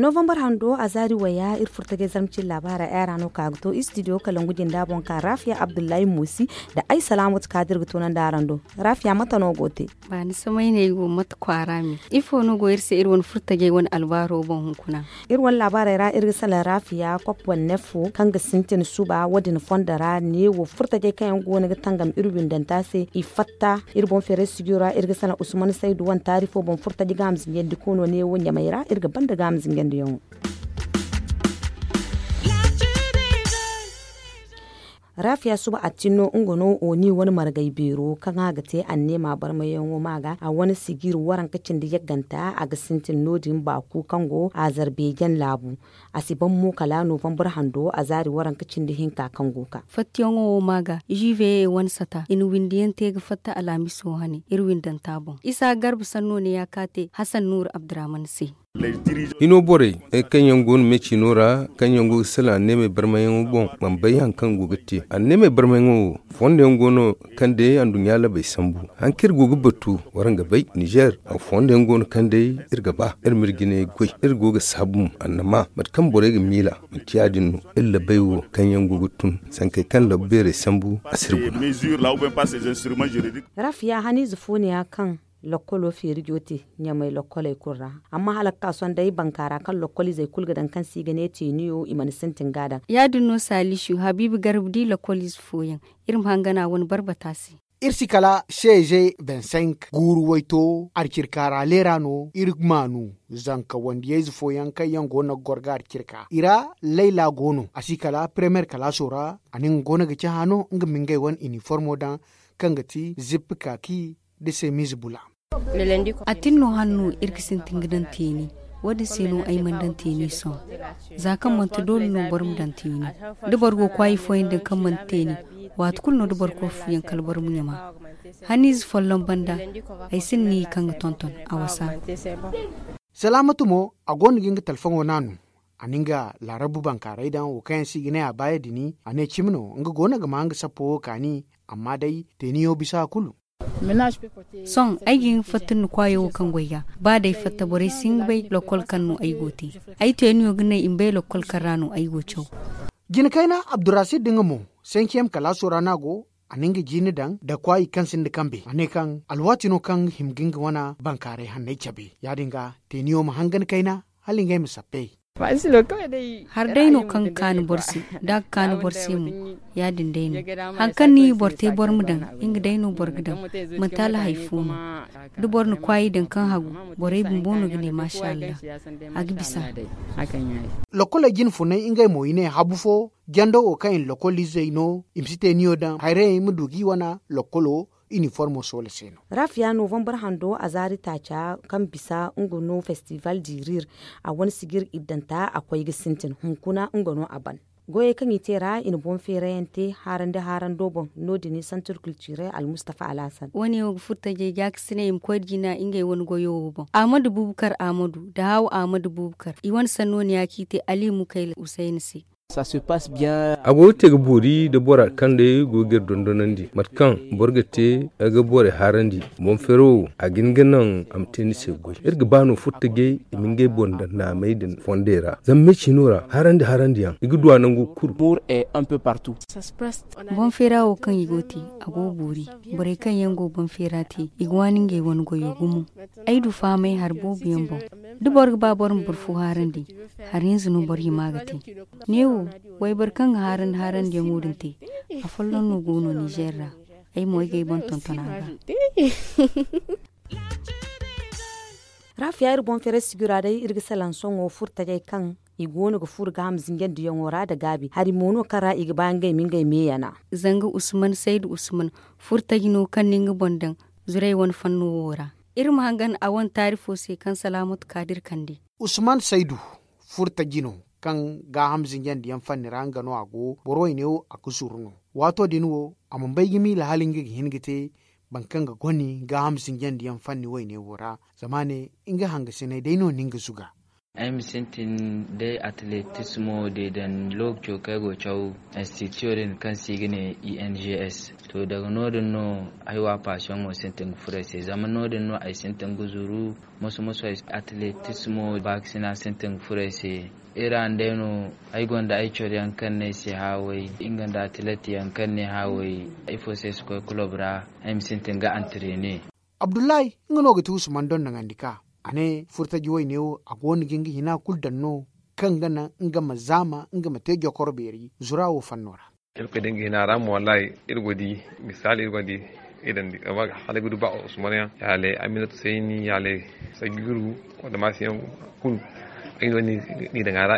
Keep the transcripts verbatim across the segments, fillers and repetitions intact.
Novambar hando a zaari waya iri furtajey zarma cine laabaarey ay ra no ka ga to istidiyo kalangu jinda boŋ ka raafiya abdullahi moosi nda ay salaamatu kaadir ga toonandi araŋ do. Raafiya mate no go te? Ba ni samay ne ay go mate kwaara me? Ifo no go iri se iri wane furtajey wane albaaro boŋ hunkuna? Iri wane laabaarey ra iri ga salaŋ raafiya kop wane neefo kaŋ ga sintin suba wo- din fondo ra neewo furtajey kaŋ yaŋ go no ga tangam iri windanta se i fatta. Iri boŋ feeray sijiyo ra iri ga salaŋ usman saydu wane taari fo boŋ furtaji ga a ma zinjandi koono neewo ɲamay ra iri ga banda ga a ma zinjandi yaŋo. Raafiya suba attin no nga no oni wane margay beero kaŋ a ga te anneema barmayaŋo ma ga a wane sijir waranka cindi yagganta a ga sintin no- din baaku kaŋ go azarbeejan laabu. A si ban mo kala novambar hando a zaari waranka cindi hinka kaŋ go ga. Fattiyaŋo wo ma ga juweye wane sata i na windi yaŋ te ga fatta alhamiso hane iri windanta boŋ isa garba sanno ne ya ka te hasan nuuru abdurrahman se. Hino borey kaŋ yaŋ go no meecino ra kaŋ yaŋ go ga salaŋ anneemey barmayaŋo boŋ mana bay hari kaŋ go ga te anneemey barmayaŋo wo fondo yaŋ go no kaŋ day anduɲɲa labey sambu. Hari kaŋ iri go ga batu waraŋ ga bay nizer, fondo yaŋ go no kaŋ day iri ga ba iri ma iri jine goy iri go ga saabu mo annama mate kaŋ borey ga miila. Manti ya- din no iri labey wo kaŋ yaŋ go ga tun sankey kaŋ labu beerey sambu a si iri guna. Raafiya haniize fo ne ya kaŋ lakkolo feeri jooti ɲamay lakkoley kulu ra. Amma hala ga ka sohõ day bankaara kaŋ lakkol izey kulu ga daŋ kaŋ se i ga ne teeniyo i mana sintin ga a daŋ. Ya- din no saalisu habiibu garba di lakkol ize fooyaŋ iri ma hangan a wane barbata se. Iri si kala seeze bensenk guuru wayto arcirka ra leera no iri maanu. Zanka wandiyayze fooyaŋ kaŋ yaŋ go no ga goro ga arcirka i ra layla go no a si kala premeer kalaaso ra. A nin go no ga cahã no nga ma ngey wane iniformo daŋ kaŋ ga ti zippi kaaki nda semiize bula. A tin no hanno iri ga sintin ga daŋ teeni. Wo- din se no ay mana daŋ teeni sohõ. Za kaŋ manti doole no boro ma daŋ teeni da boro go ga kwaayi fooyaŋ daŋ kaŋ manti teeni. Waati kulu no da boro koy fuyaŋ kala boro ma ɲama. Haniize folloŋ banda ay sinda ni kaŋ ga tonton a wasa. Salaamatu mo a go no ga nga talfaŋo naanu. A na nga laarabu bankaaray daŋ wo kaŋ yaŋ se i ga ne a baaya dini a ne cimi no nga go no ga ma nga sappo wo kaani. Amma day teeniyo bisa kulu. Sohõ ay ga hin ga fatta ni kwaayo wo kaŋ goy ga ba day fatta borey si hin ga bay lakkol kaŋ no ay go ga te. Ay teeniyo ga ne i ma bay lakkol kaŋ ra no ay go ga caw. Jina kayna abdurrasid da nga mo senkiyem kalaaso ra no a go. A na nga jiine daŋ nda kwaayi kaŋ sinda kambe a ne kaŋ alwaati no kaŋ ga hima ga nga wane bankaaray hanney cabe ya- din ga teeniyo ma hangan kayna hala ngey ma sappe. Hari day no kaŋ ga kaanu boro se da a ga kaanu boro se mo. Ya- din day no hari kaŋ ni boro te boro ma daŋ nga day no boro ga daŋ. Manti hala hari fo no da boro na kwaayi daŋ kaŋ hagu borey bumbo no ga ne maasa allah. A ga bisa. Lokkoley jine funay ngey mo i ne habu fo jando wo kaŋ i na lokkol izey no i ma si te niyo daŋ hayrayey ma du ga i wane lokkolo. Iniformo soola se no. Raafiya novambar hando a zaari taaca kaŋ bisa nga no festival dirir. A wane sijir iddanta a koy ga sintin hunkuna nga no a ban. Goyey kaŋ i te ra i na boŋ feerayaŋ te haarandi haarando boŋ. No- din santir kulturel almustafa alhasan wo- ne wo ga furo tajey gaakasinay i ma koy da jina ngey wane goyo wo boŋ ahmadu bubukar ahmadu nda haawu ahmadu bubukar i wane sanno ne ya kaŋ i te ali mukayla usayna se. A go ga te ga boori nda bora kaŋ day go ga iri dondonandi mate kaŋ boro ga te ga borey haarandi. Boŋ feero wo a ga hin ga naŋ a ma te ni se goy iri ga ba no furo tajey i ma ngey boŋ daŋ naamey din fondey ra zama me ciino ra haarandi haarandiyaŋ i ga du a nangu kulu. Boŋ feera wo kaŋ i go ga te a go ga boori. Borey kaŋ yaŋ go boŋ feera te i ga waani ngey wane goyo gumo. Ay du fahamay hari boobo yaŋ boŋ da boro ga ba boro ma boro fo haarandi. Hari hinza no boro hima ga te. Neewo wayboro kaŋ ga haarandi haarandiyaŋo din te. Afolloŋ no go no nizer ra. Ay mo ay ga ay boŋ tonton a ga. Raafiya iri boŋ feeray sijira day iri ga salaŋ sohõ furo tajey kaŋ i go no ga furo gaaham zinjandiyaŋo ra nda gaabi hari mo no kaŋ ra i ga ba ngey ma ngey meeyana. Zanga usman saydu usman furo taji no kaŋ na nga boŋ daŋ zurey wane fanno wo ra. Iri ma hangan a wane taari fo se kaŋ salaamatu kaadir kande. Usman saydu furo taji no kaŋ gaaham zinjandiyaŋ fanni ra nga no a go boro wayne wo a ga zuru no. Waato din wo a mana bay ga miila hala nga ga hin ga te boro kaŋ ga goni gaaham zinjandiyaŋ fanni wayne wo ra. Zama a ne nga hangasinay day no na nga zuga. Ay ma sintin day atletismo deedan lookaco kaŋ ay go ga caw institution din kaŋ se i ga ne I N G S. To, daga no- din no ay wa paasiyoŋo sintin ga furo ay se, zama no- din no ay sintin ga zuru. Moso-moso ay atletismo baakasina sintin ga furo ay se. Iri ra day no ay gonda ay coro yaŋ kaŋ no ay se haaway, nga nda atlet yaŋ kaŋ no ay haaway, ifo se ay si koy kulob ra, ay ma sintin ga antrene. Abdullahi, nga no ga ti Usman dondoŋandi ka. A ne furtaji wayne wo a go no ga nga hina kulu daŋ no, kaŋ ga naŋ nga ma zaama nga ma te jokoro beeri zura wo fanno ra. Iri koy da nga hina ra mo, wallahi, iri go ga di, misaali, iri go ga di, i daŋ di, amma hala ay ga du ba Usman yaŋ, yaalay Aminatu Sayni, yaalay Sagiru, wala Maasi yaŋ kulu. Ay no ni- ni daŋ a ra,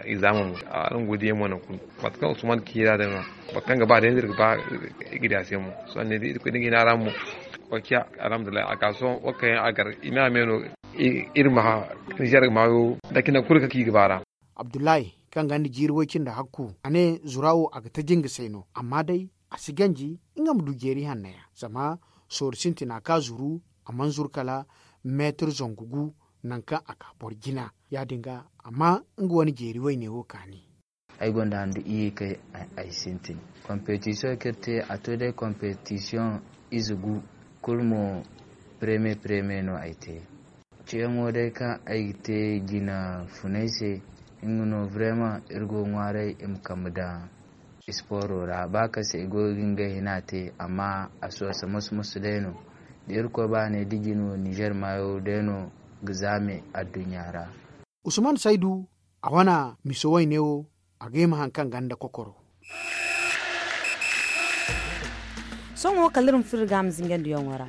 i zaama mo. Araŋ go ga di yaŋ mo nangu kulu. Mate kaŋ Usman ci ra din no, mate kaŋ ga ba day, iri ga ba, i ga di a se mo. Sohõ ne da iri koy da nga hina ra mo, wa ciya, alhamdulillahi, a ka sohõ, wa kaŋ yaŋ a gar, i ma me no, i- iri ma ha, Niger maayo, da cine kulu kaŋ i ga ba ra. Abdullahi, kaŋ gonda jiiri way cindi hakku, a ne zura wo a ga taji nga se no, amma day a si ganji nga ma du jeeri hanno yaŋ, zama sorro sintina ka zuru, a mana zuru kala meetar zangu gu, nangu kaŋ a ka boro jina. Ya-din ga, a ma nga wane jeeri wayne wo kaani. Ay gonda handu iyye kaŋ ay- ay sintin. Kompetisiyoŋ kaŋ iri te, a to day kompetisiyoŋ ize gu, kulu mo, preme preme no ay te. Ciyaŋo day kaŋ ay ga te jina funay se, nga no, vraiment, iri go ga ŋwaaray i ma kambe daŋ isporo ra. Ba kaŋ se i go ga ngey hina te, amma a soosa moso-moso day no. Da Irkoy ba ne, da jine wo Niger maayo day no ga zaame adduɲɲa ra. Usman Saydu, a wane miso wayne wo, a ga hima haŋ kaŋ gonda kokoro. Sohõ kala iri ma furo iri ga a ma zinga nda yaŋo ra.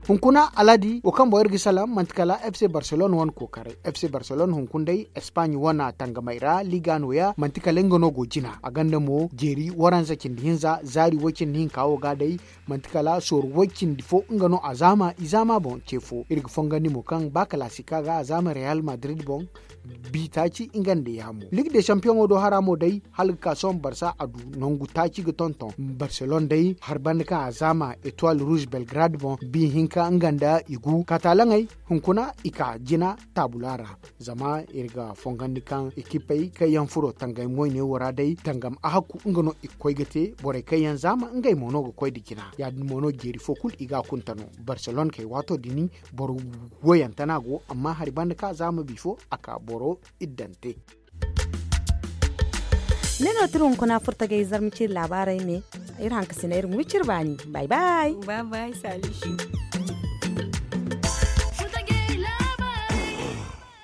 Hunkuna Aladi wo kaŋ boŋ iri ga salaŋ, manti kala F C Barcelone wane kookaray. F C Barcelone hunkuna day Espagne wane tangamey ra, Liga nooya, manti kala nga no go jina. A gonda mo jeeri waranza cindi hinza, zaari way cindi hinka wo ga day, manti kala sorro way cindi fo nga no a zaama, i zaama boŋ ce fo. Iri ga fongandi mo kaŋ ba kalaasika ga a zaama Real Madrid boŋ, bi taaci nga nda yaamo. Ligue des Champions do hara mo day, hala ga ka sohõ Barça a du nangu taaci ga tonton. Barcelone day, hari banda kaŋ a zaama Etoile Rouge Belgrade boŋ, bi hinka nga nda i gu. Katalaŋey, hunkuna i ka jina taabula ra. Zama iri ga fongandi kaŋ ekipey kaŋ yaŋ furo tangam wayne wo ra day, tangam ahakku nga no i ga koy ga te, borey kaŋ yaŋ zaama ngey mo no ga koy nda jina. Ya-din mo no jeeri fo kulu i ga a kunta no. Barcelone kay waato din, boro woyante no a go, amma hari banda kaŋ a zaama bifo, a ka boro iddante. Ne no tira hunkuna furtagay zarma ciri laabaarey me, iri hankasina iri ga wiciri baani. Bay bay. Bay bay, Salisu.